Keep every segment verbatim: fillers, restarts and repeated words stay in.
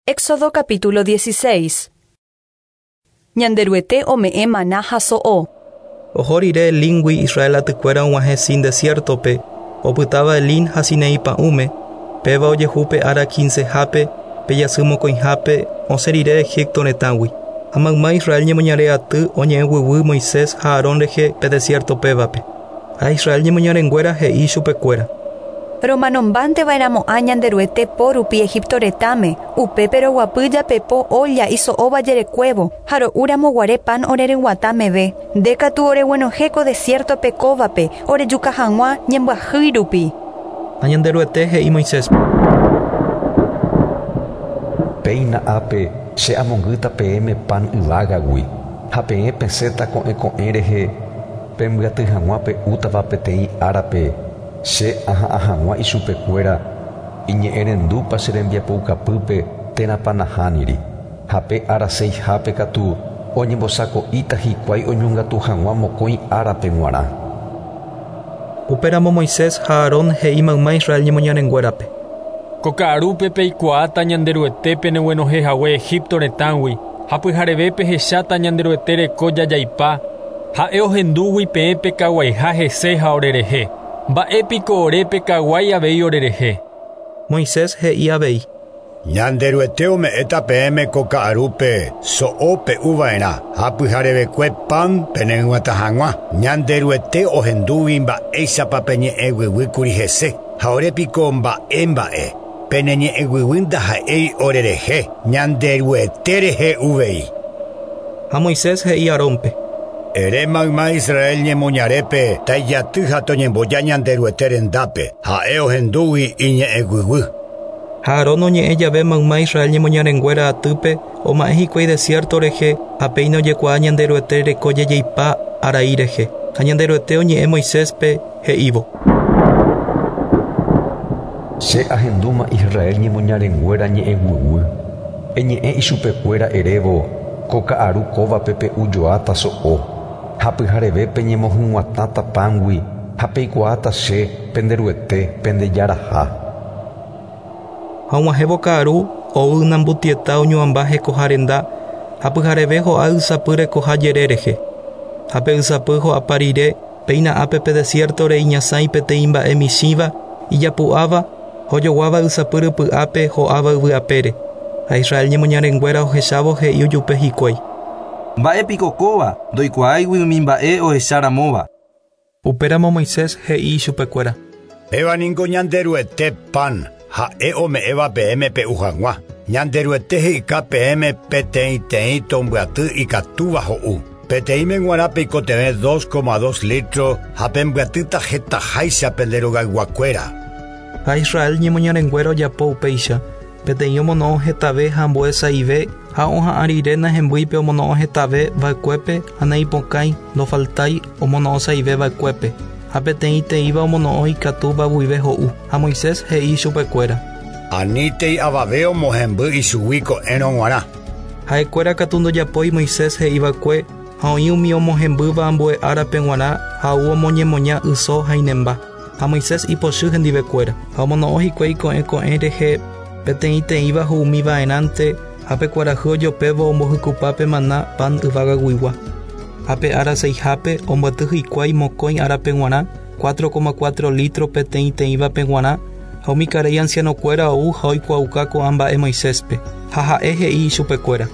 Éxodo capítulo dieciséis. Ñanderuete ome'ẽ maná ha so'o. Oho rire Elíngui Israel atykuéra og̃uahẽ Sin desierto-pe, opytáva Elín ha Sinaí pa'ũme, péva ojehu pe ára quincehápe, pe jasy mokõihápe, osẽ rire Egipto retãgui. Ha mayma Israel ñemoñare aty oñe'ẽguyguy Moisés ha Aarón rehe pe desierto pévape. Ha Israel ñemoñarenguéra he'i chupekuéra. Romanombánteva'erãmo'ã Ñanderuete po rupi Egipto retãme, upépe roguapy japepo olla iso'óva jerekuévo ha ro'úramoguare pan oreryguatã meve. Nde katu oreguenohẽ ko desierto-pe kóvape orejuka hag̃ua ñembyahýi rupi. Ha Ñanderuete he'i Moiséspe. Péina ápe che amongýta peẽme pan yvágagui ha peẽ pesẽta ko'ẽ ko'ẽ rehe pembyaty hag̃ua pe'útava peteĩ árape che aha'ã hag̃ua ichupekuéra iñe'ẽrendúpa che rembiapoukapýpe térãpa nahániri ha pe ára seihápe katu oñembosako'íta hikuái oñongatu hag̃ua mokõi árape g̃uarã. Upéramo Moisés ha Aarón he'i mayma Israel ñemoñarenguérape. Ko ka'arúpe peikuaáta Ñanderuete peneguenohẽhague Egipto retãgui ha pyhareve pehecháta Ñanderuete reko jajaipa ha'e ohendúgui peẽ pekaguaiha hese ha orerehe. Mba'épiko ore pekaguái avei orerehe. Moisés he'i avei. Ñanderuete ome'ẽta peẽme ko ka'arúpe so'o pe'uva'erã ha pyharevekue pan peneryguatã hag̃ua. Ñanderuete ohendúgui mba'éichapa peñe'ẽguyguýkuri hese ha orépiko mba'e mba'e. Peneñe'ẽguyguy ndaha'éi orerehe Ñanderuete rehe uvei. Ha Moisés he'i Aarónpe. Ere mayma Israel ñemoñarépe taijaty ha toñemboja Ñanderuete rendápe ha'e ohendúgui iñe'ẽguyguy. Ha Aarón oñe'ẽ jave mayma Israel ñemoñarenguéra atýpe oma'ẽ hikuái desierto rehe ha péina ojekuaa Ñanderuete reko jajaipa arai rehe. Ha Ñanderuete oñe'ẽ Moiséspe he'ívo. Che ahendúma Israel ñemoñarenguéra ñe'ẽguyguy. Eñe'ẽ ichupekuéra erévo ko ka'aru kóvape pe'ujoáta so'o. Ha pyharevépe ñemohyg̃uatãta pángui ha peikuaáta che penderuete pendejaraha. Ha og̃uahẽvo ka'aru ou ynambutieta oñuãmba hekoha renda ha pyhareve ho'a ysapy rekoha jere rehe. Ha pe ysapy ho'apa rire péina ápe pe desierto-re iñasãi peteĩ mba'e michĩva ijapu'áva ojoguáva ysapy rypy'ápe ho'áva yvyapére. Ha Israel ñemoñarenguéra ohechávo he'i ojupe hikuái. Mba'épiko kóva ndoikuaáigui umi mba'e ohecharamóva. Upéramo Moisés he'i ichupekuéra. Péva niko Ñanderuete pan ha'e ome'ẽva peẽme pe'u hag̃ua. Ñanderuete he'ika peẽme peteĩteĩ tombyaty ikatúva ho'u. Peteĩme g̃uarã peikotevẽ dos coma dos litro ha pembyatýta hetaháicha pende rogayguakuéra. Ha Israel ñemoñarenguéra ojapo upéicha. Peteĩ omono'õ hetave ha ambue sa'ive ha oha'ã rire nahembýipe omono'õ hetave va'ekuépe ha naipokãi ndofaltái omono'õ sa'ive va'ekuépe. Ha peteĩteĩva omono'õ ikatúva guive ho'u. Ha Moisés he'i chupekuéra. Anítei avave omohemby ichugui ko'ẽrõ g̃uarã. Ha'ekuéra katu ndojapói Moisés he'iva'ekue ha oĩ umi omohembýva ambue árape g̃uarã ha ou omoñemoña yso ha inemba. Ha Moisés ipochy hendivekuéra. Ha omono'õ hikuái ko'ẽ ko'ẽ rehe peteĩteĩva ho'umiva'erãnte ha pe kuarahy ojopévo ombohykupápe maná pan yvágaguigua. Ha pe ára seihápe ombyaty hikuái mokõi árape g̃uarã cuatro coma cuatro litro peteĩteĩvape g̃uarã ha umi karai ancianokuéra ou ha oikuaauka ko'ã mba'e Moiséspe. Ha ha'e he'i ichupekuéra.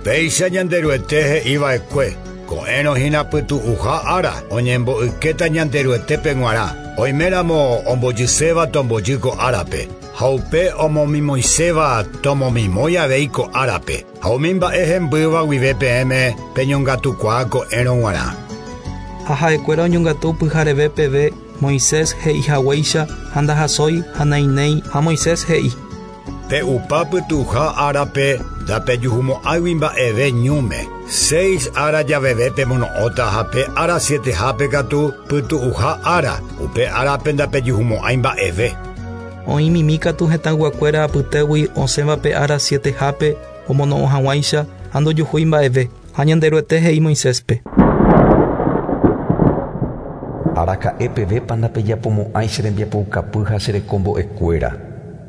Péicha Ñanderuete he'iva'ekue ko'ẽrõ hína pytu'uha ára oñembo'ykéta Ñanderuetépe g̃uarã. Oiméramo ombojyséva tombojy ko árape. Ha upe omomimoiséva tomomimói avei ko árape. Ha umi mba'e hembýva guive peẽme peñongatukuaa ko'ẽrõ g̃uarã. Ha ha'ekuéra oñongatu pyhareve peve Moisés he'ihaguéicha ha ndahasói ha nainéi ha Moisés he'i. Pe'upa pytu'uha árape ndapejuhumo'ãigui mba'eve ñúme. Seis ára javeve pemono'õta ha pe ára sietehápe katu pytu'uha ára. Upe árape ndapejuhumo'ãi mba'eve. Oĩ mimi katu hetãyguakuéra apytégui osẽva pe ára sietehápe omono'õ hag̃uáicha ha ndojuhúi mba'eve. Ha Ñanderuete he'i Moiséspe. Araka'e pevépa ndapejapomo'ãi che rembiapoukapy ha che rekombo'ekuéra.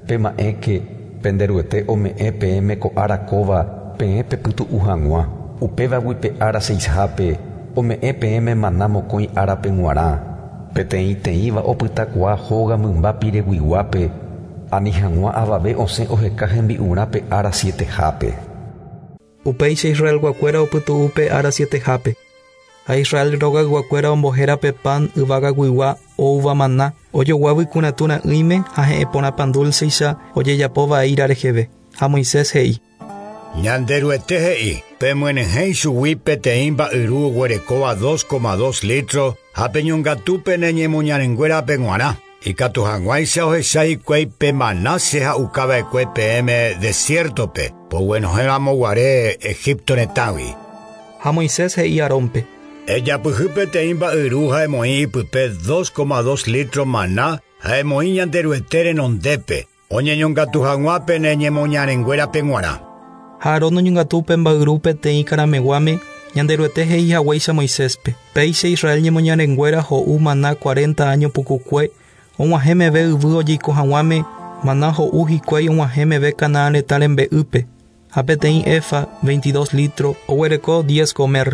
Pema'ẽke Pende Ruete ome'ẽ peẽme ko ára kóva peẽ pepytu'u hag̃ua. Upévagui pe ára seihápe ome'ẽ peẽme maná mokõi árape g̃uarã. Peteĩteĩva opytakuaa hóga mymba pireguiguápe ani hag̃ua avave osẽ oheka hembi'urã pe ára sietehápe. Upéicha Israelguakuéra opytu'u pe ára sietehápe. Ha Israel rogayguakuéra ombohéra pe pan yvagaguigua oúva maná ojoguágui kunatúra'ỹime ha he'ẽporã pan dulceicha ojejapóva eíra reheve. Ha Moisés he'i: Ñanderuete he'i, pemyenyhẽ ichugui peteĩ mba'yru oguerekóva dos coma dos litro ha peñongatúpe ne ñemoñarenguérape g̃uarã. Ikatu hag̃uáicha ohecha hikuái pe maná che ha'ukava'ekue peẽme desiertope, poguenohẽramoguare Egipto retãgui. Ha Moisés he'i Aarónpe: Ejapyhy peteĩ mba'yru ha emoĩ ipype dos coma dos litro maná ha emoĩ Ñanderuete renondépe, oñeñongatu hag̃ua pene ñemoñarenguérape g̃uarã. Ha Aarón oñongatu pe mba'yru peteĩ karameguáme Ñanderuete he'i haguéicha Moiséspe. Péicha Israel ñemoñarenguéra ho'u maná cuarenta año pukukue og̃uahẽ meve yvy ojeiko hag̃uáme maná ho'u hikuái og̃uahẽ meve Canaán retã rembe'ýpe. Ha peteĩ efa veintidós litro oguereko diez gomer.